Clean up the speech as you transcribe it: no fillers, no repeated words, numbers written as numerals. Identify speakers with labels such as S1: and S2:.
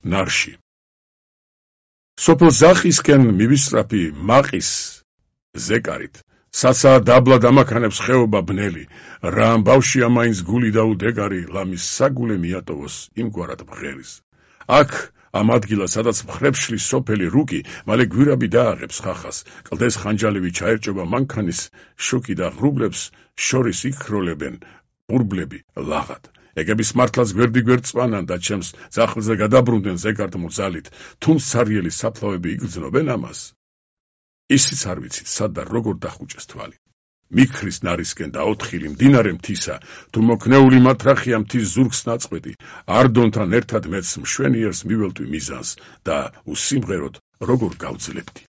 S1: ნარში. სოფელ ზახისკენ მივისწრაფი მაყის ზეკარით. საცა დაბლა დამაქანებს ხეობა ბნელი, რა ამბავშია მაინც გული და უდეგარი, ლამის საგულე მიატოვოს იმგვარად მღერის. აქ ამ ადგილას, სადაც მხრებს შლის სოფელი რუკი, მალე გვირაბი დააღებს ხახას, კლდეს ხანჯალივი ჩაერჭობა მანქანის შუქი და ღრუბლებს შორის იქროლებენ ბურბლები ლაღად. ეგების მართლაც გვერდიგვერდ წვანან და ჩემს ძახლზე გადაბრუნდნენ ზეგარტმულ ძალით, თუმცა სარიელი საფლავები იგრძნობენ ამას. ისიც არ ვიცით, სად და როგორ დახუჭეს თვალი. მიქრის ნარისკენ და ოთხილი მდინარე მთისა, თუ მოკნეული მათრახია მთის ზურგს ნაწყვეტი, არდონთან ერთად მეც მშვენიერს მიველტვი მიზანს და უსიმღეროდ როგორ გავძლებდი.